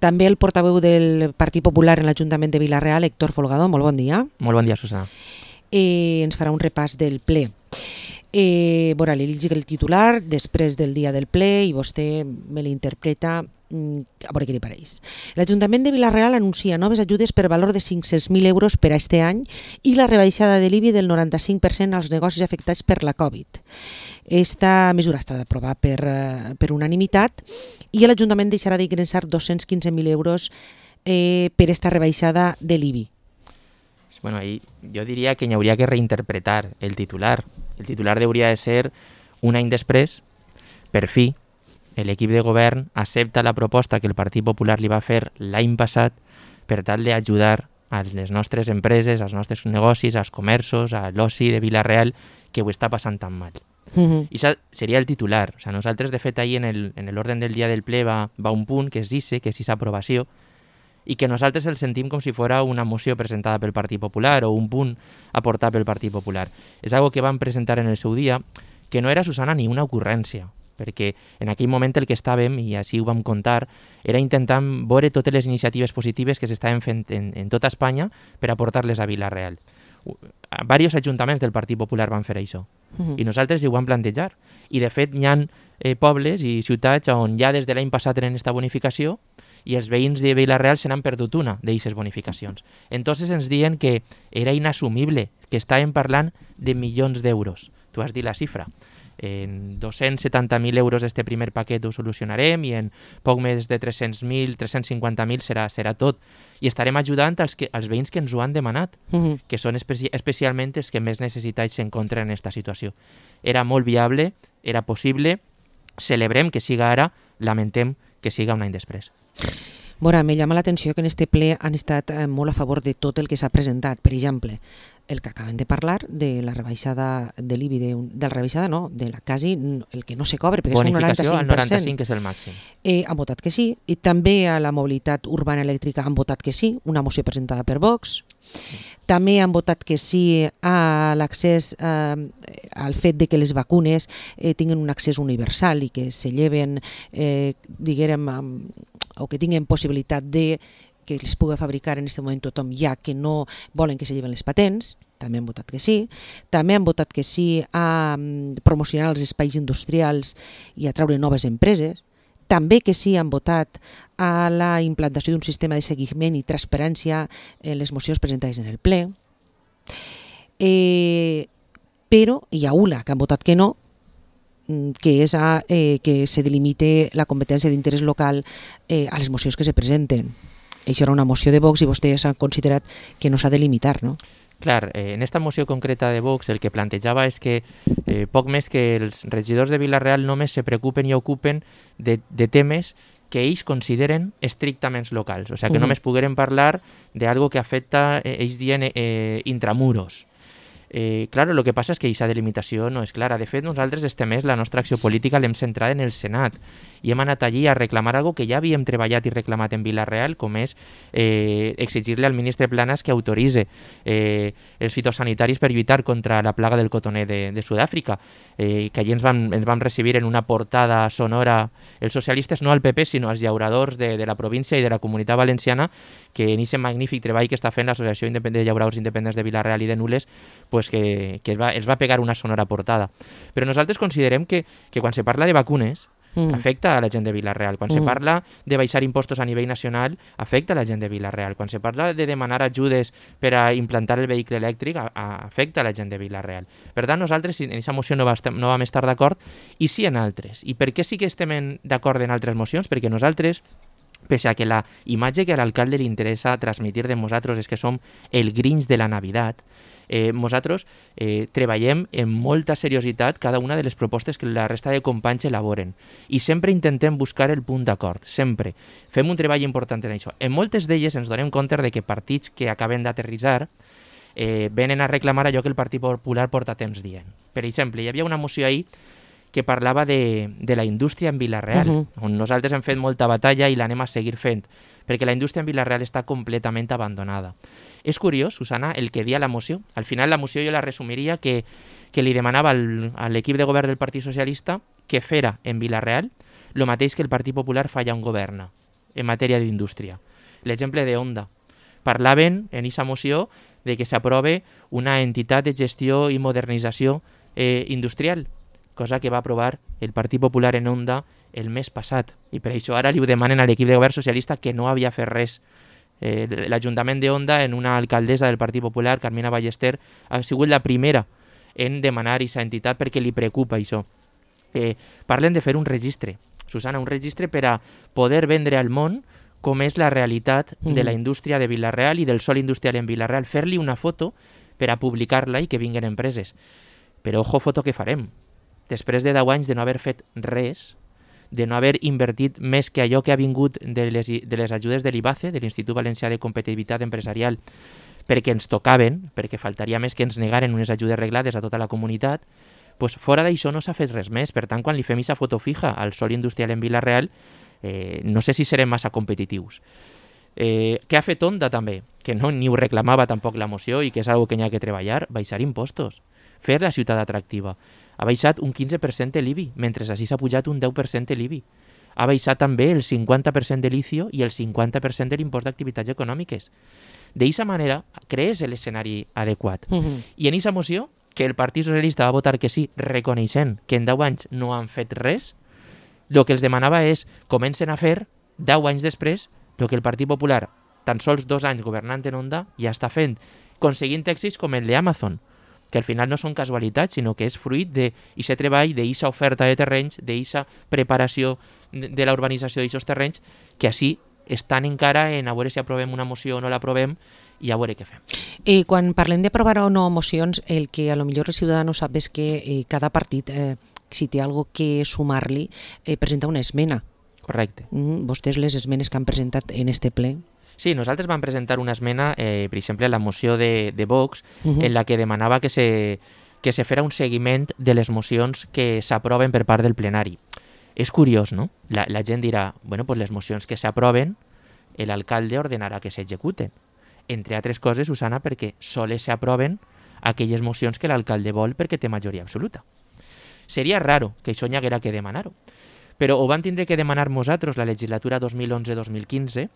També el portaveu del Partit Popular en l'Ajuntament de Vila-real, Héctor Folgado. Molt bon dia. Molt bon dia, Susana. Ens farà un repàs del ple. Veurà, li llegiré el titular després del dia del ple i vostè me l'interpreta a veure què li pareix. L'Ajuntament de Vila-real anuncia noves ajudes per valor de 500.000 euros per a este any i la rebaixada de l'IBI del 95% als negocis afectats per la Covid. Esta mesura està d'aprovar per unanimitat i l'Ajuntament deixarà d'ingressar 215.000 euros per esta rebaixada de l'IBI. Bueno, ahí yo diría que habría que reinterpretar el titular. El titular debería de ser un any després, per fi, l'equip de govern accepta la proposta que el Partit Popular li va fer l'any passat per tal d'ajudar a les nostres empreses, als nostres negocis, als comerços, a l'oci de Vila-real, que ho està passant tan mal. I això seria el titular. O sea, nosaltres, de fet, ahir en l'ordre del dia del ple va un punt que es dice, que és aquesta aprovació, i que nosaltres el sentim com si fos una moció presentada pel Partit Popular o un punt aportat pel Partit Popular. És algo que van presentar en el seu dia, que no era, Susana, ni una ocurrència, perquè en aquell moment el que estàvem, i així ho vam contar, era intentar veure totes les iniciatives positives que s'estaven fent en tota Espanya per aportar-les a Vila-real. Diversos ajuntaments del Partit Popular van fer això, i nosaltres ho vam plantejar. I de fet hi ha pobles i ciutats on ja des de l'any passat tenen aquesta bonificació i els veïns de Vila-real se n'han perdut una d'aquestes bonificacions. Entonces ens diuen que era inassumible, que estàvem parlant de milions d'euros. Tu has dit la xifra. En 270.000 euros este primer paquet ho solucionarem i en poc més de 300.000, 350.000 serà tot. I estarem ajudant als veïns que ens ho han demanat, que són especialment els que més necessitats s'encontren en aquesta situació. Era molt viable, era possible, celebrem que siga ara, lamentem que siga un any després. Bueno, me llama l'atenció que en este ple han estat molt a favor de tot el que s'ha presentat. Per exemple, el que acaben de parlar de la rebaixada de l'IBI, de la rebaixada no, de la quasi, el que no se cobre, perquè és un 95%. Bonificació al 95, que és el màxim. Han votat que sí, i també a la mobilitat urbana elèctrica han votat que sí, una moció presentada per Vox. També han votat que sí a l'accés al fet de que les vacunes tinguin un accés universal i que se lleven, diguem, o que tinguin possibilitat de que les pugui fabricar en aquest moment tothom, ja que no volen que se lleven les patents. També han votat que sí. També han votat que sí a promocionar els espais industrials i a treure noves empreses. També que sí han votat a la implantació d'un sistema de seguiment i transparència en les mocions presentades en el ple. Però hi ha una que han votat que no, que és que se delimite la competència d'interès local a les mocions que se presenten. Això era una moció de Vox i vostès han considerat que no s'ha de limitar, no? Clar, en esta moció concreta de Vox el que plantejava és que poc més que els regidors de Vila-real només se preocupen i ocupen de temes que ells consideren estrictament locals. O sigui, que només pogueren parlar d'algo que afecta, ells diuen, intramuros. Claro, lo que passa és que aquesta delimitació no és clara. De fet, nosaltres este mes la nostra acció política l'hem centrada en el Senat i hem anat allí a reclamar algo que ja havíem treballat i reclamat en Vila-real, com és exigir-li al ministre Planas que autoritze els fitosanitaris per lluitar contra la plaga del cotoner de Sud-àfrica, que allí ens vam recibir en una portada sonora els socialistes, no al PP, sinó als llauradors de la província i de la Comunitat Valenciana, que en aquest magnífic treball que està fent l'Associació de Llauradors Independents de Vila-real i de Nules, pues que es va pegar una sonora portada. Però nosaltres considerem que quan se parla de vacunes afecta a la gent de Vila-real. Quan se parla de baixar impostos a nivell nacional, afecta a la gent de Vila-real. Quan se parla de demanar ajudes per a implantar el vehicle elèctric, afecta a la gent de Vila-real. Per tant, nosaltres en aquesta moció no vam estar d'acord, i sí en altres. I per què sí que estem d'acord en altres mocions? Perquè nosaltres, pese a que la imatge que a l'alcalde li interessa transmitir de nosaltres és que som el Grinch de la Navidad, nosaltres treballem amb molta seriositat cada una de les propostes que la resta de companys elaboren i sempre intentem buscar el punt d'acord, sempre. Fem un treball important en això. En moltes d'elles ens donem compte de que partits que acaben d'aterritzar venen a reclamar allò que el Partit Popular porta temps dient. Per exemple, hi havia una moció ahir que parlava de la indústria en Vila-real, on nosaltres hem fet molta batalla i l'anem a seguir fent, perquè la indústria en Vila-real està completament abandonada. És curiós, Susana, el que dia la moció. Al final la moció jo la resumiria que li demanava a l'equip de govern del Partit Socialista que fera en Vila-real el mateix que el Partit Popular fa allà on governa. en matèria d'indústria. L'exemple de Honda. Parlaven en aquesta moció de que s'aprove una entitat de gestió i modernització industrial, cosa que va aprovar el Partit Popular en Honda el mes passat. I per això ara li ho demanen a l'equip de govern socialista que no havia fet res. L'Ajuntament de Honda, en una alcaldessa del Partit Popular, Carmina Ballester, ha sigut la primera en demanar aquesta entitat perquè li preocupa això. Parlen de fer un registre, Susana, un registre per a poder vendre al món com és la realitat de la indústria de Vila-real i del sòl industrial en Vila-real, fer-li una foto per a publicar-la i que vinguin empreses. Però ojo foto que farem. Després de 10 anys de no haver fet res, de no haver invertit més que allò que ha vingut de les ajudes de l'IBACE, de l'Institut Valencià de Competitivitat Empresarial, perquè ens tocaven, perquè faltaria més que ens negaren unes ajudes reglades a tota la comunitat, doncs fora d'això no s'ha fet res més. Per tant, quan li fem aquesta foto fija al sòl industrial en Vila-real, no sé si serem massa competitius. Què ha fet Honda també? Que no ni ho reclamava tampoc la moció i que és una que n'hi ha que treballar, baixar impostos, fer la ciutat atractiva. Ha baixat un 15% l'IBI, mentre així s'ha pujat un 10% l'IBI. Ha baixat també el 50% de l'ICIO i el 50% de l'impost d'activitats econòmiques. D'aquesta manera, crees l'escenari adequat. I en aquesta moció, que el Partit Socialista va votar que sí, reconeixent que en 10 anys no han fet res, el que els demanava és comencen a fer, 10 anys després, el que el Partit Popular, tan sols 2 anys governant en Honda, ja està fent, aconseguint èxits com el d'Amazon, que al final no són casualitats, sinó que és fruit d'aquest treball, d'aquesta oferta de terrenys, d'aquesta preparació de la urbanització d'aquests terrenys, que així estan encara en a veure si aprovem una moció o no l'aprovem i a veure què fem. I quan parlem d'aprovar o no mocions, el que a lo millor el ciutadà sap és que cada partit, si té alguna cosa que sumar-li, presenta una esmena. Correcte. Vostès les esmenes que han presentat en este ple? Sí, nosaltres vam presentar una esmena, per exemple, a la moció de Vox, en la que demanava que se fera un seguiment de les mocions que s'aproven per part del plenari. És curiós, no? La gent dirà, bueno, pues les mocions que s'aproven, l'alcalde ordenarà que s'executen. Entre altres coses, Susana, perquè sols s'aproven aquelles mocions que l'alcalde vol perquè té majoria absoluta. Seria raro que això n'hi haguera que demanar-ho. Però ho vam tindre que demanar nosaltres la legislatura 2011-2015,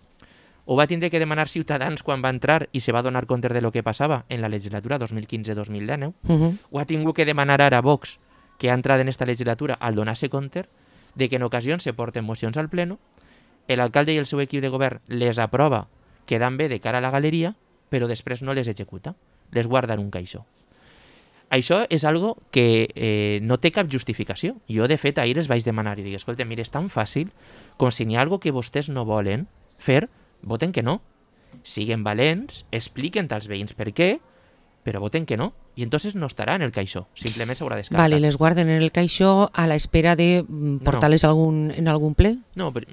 ho va tindre que demanar Ciutadans quan va entrar i se va donar compte de lo que passava en la legislatura 2015-2019, ho ha tingut que demanar ara Vox, que ha entrat en esta legislatura, al donar-se compte de que en ocasions se porten mocions al pleno, l'alcalde i el seu equip de govern les aprova quedant bé de cara a la galeria, però després no les executa, les guarda en un caixó. Això és algo que no té cap justificació. Jo, de fet, ahir els vaig demanar i dic, escolta, mira, és tan fàcil com si n'hi ha algo que vostès no volen fer, voten que no. Siguen valents, expliquen als veïns per què, però voten que no. I entonces no estarà en el caixó, simplement s'haurà descartat. Vale, les guarden en el caixó a l'espera de portar-les en algun ple? No, però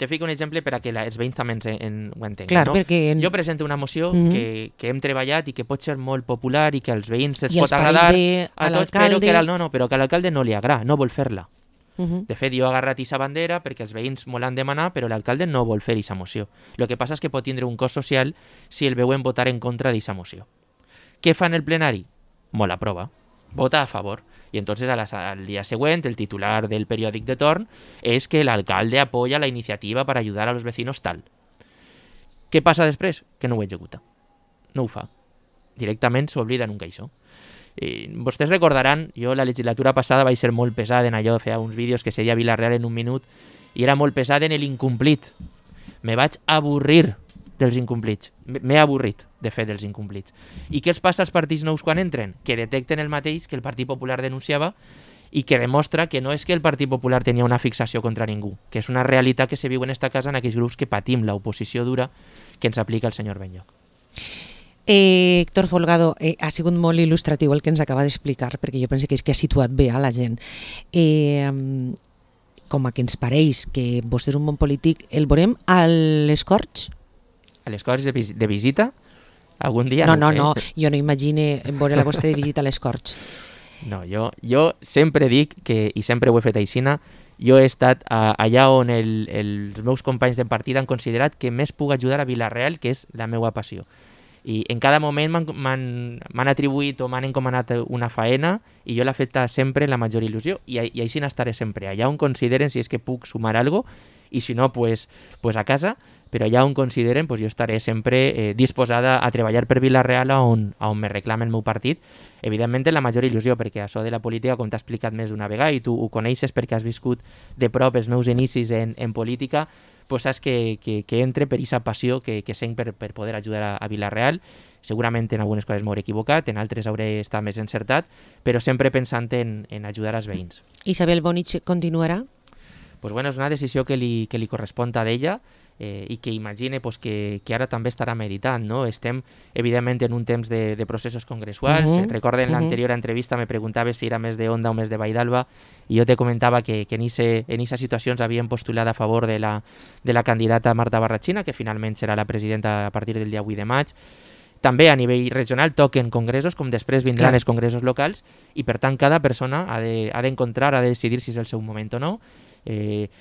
te fico un exemple per a que els veïns també ho entenguin. Clar, no? perquè... Jo presento una moció que hem treballat i que pot ser molt popular i que als veïns els pot agradar a tots, però que a l'alcalde no li agrada, no vol fer-la. De fet, jo he agarrat aquesta bandera perquè els veïns m'ho l'han demanat, però l'alcalde no vol fer aquesta moció. El que passa és que pot tindre un cost social si el veuen votar en contra d'aquesta moció. Què fa en el plenari? Molt aprova, vota a favor. Y entonces al día siguiente el titular del periòdic de torn és que l'alcalde apoya la iniciativa para ayudar a los vecinos tal. Què passa després? Que no ho executa. No ho fa. Directament s'oblida en un caixó. Vostès recordaran, jo la legislatura passada vaig ser molt pesada en allò, feia uns vídeos que seria Vila-real en un minut, i era molt pesada en l'incomplit. Me vaig avorrir dels incomplits. M'he avorrit, de fet, dels incomplits. I què els passa als partits nous quan entren? Que detecten el mateix que el Partit Popular denunciava i que demostra que no és que el Partit Popular tenia una fixació contra ningú, que és una realitat que se viu en esta casa en aquells grups que patim l'oposició dura que ens aplica el senyor Benlloch. Héctor Folgado, ha sigut molt il·lustratiu el que ens acaba d'explicar, perquè jo penso que és que ha situat bé a la gent. Com a que ens pareix que vostè és un bon polític, el veurem a les Corts? A les Corts de visita? Algun dia? No, jo no imagine veure la vostra de visita a les Corts. No, jo sempre dic, i sempre ho he fet aixina, jo he estat allà on els meus companys de partida han considerat que més puc ajudar a Vila-real, que és la meva passió. I en cada moment m'han atribuït o m'han encomanat una faena i jo l'he fet sempre en la major il·lusió i així n'estaré sempre, allà on consideren si és que puc sumar alguna cosa i si no, pues a casa, però allà on consideren jo estaré sempre disposada a treballar per Vila-real on me reclama el meu partit, evidentment en la major il·lusió, perquè això de la política, com t'ha explicat més d'una vegada, i tu ho coneixes perquè has viscut de prop els meus inicis en política, pues saps que entre per aquesta passió que sent per poder ajudar a Vila-real. Segurament en algunes coses m'hauré equivocat, en altres hauré estat més encertat, però sempre pensant en ajudar als veïns. Isabel Bonich continuarà? Pues bueno, és una decisió que li correspon a d'ella, i que imagine que ara també estarà meditant, no? Estem, evidentment, en un temps de processos congressuals. Recorda, en l'anterior entrevista me preguntava si era més de Onda o més de Vall d'Alba, i jo te comentava que en aquestes situacions havien postulat a favor de la candidata Marta Barrachina, que finalment serà la presidenta a partir del dia 8 de maig. També a nivell regional toquen congressos, com després vindran els congressos locals, i per tant cada persona ha d'encontrar, ha de decidir si és el seu moment o no.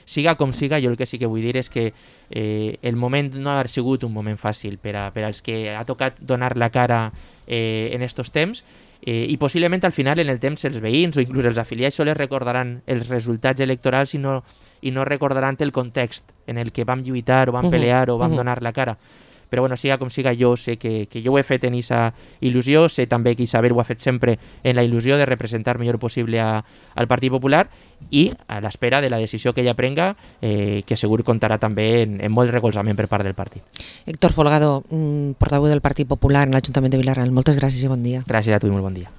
Siga com siga, jo el que sí que vull dir és que el moment no ha sigut un moment fàcil per als que ha tocat donar la cara en estos temps, i possiblement al final en el temps els veïns o inclús els afiliats sols recordaran els resultats electorals i no recordaran el context en el que vam lluitar o vam pelear o vam donar la cara. Però bueno, siga com siga, jo sé que jo ho he fet en aquesta il·lusió, sé també que Isabel ho ha fet sempre en la il·lusió de representar millor possible al Partit Popular, i a l'espera de la decisió que ella prenga, que segur comptarà també en molt recolzament per part del partit. Héctor Folgado, portaveu del Partit Popular en l'Ajuntament de Vila-real, moltes gràcies i bon dia. Gràcies a tu i molt bon dia.